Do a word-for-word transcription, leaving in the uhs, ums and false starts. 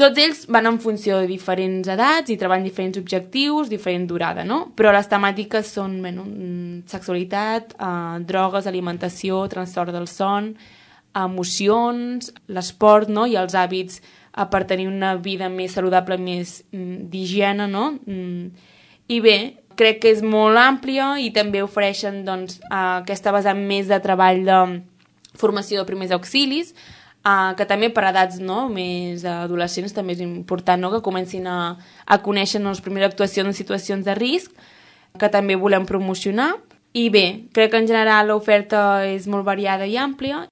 Tots ells van en funció de diferents edats i treballen diferents objectius, diferent durada, no? Però les temàtiques són bueno, sexualitat, eh, drogues, alimentació, trastorn del son, emocions, l'esport, no? I els hàbits eh, per tenir una vida més saludable, més mm, d'higiene, no? Mm. I bé, crec que és molt àmplia i també ofereixen doncs, eh, aquesta vessant més de treball de formació de primers auxilis, Uh, que també per edats no, més adolescents també és important no, que comencin a, a conèixer no, les primeres actuacions en situacions de risc, que també volem promocionar. I bé, crec que en general l'oferta és molt variada i àmplia.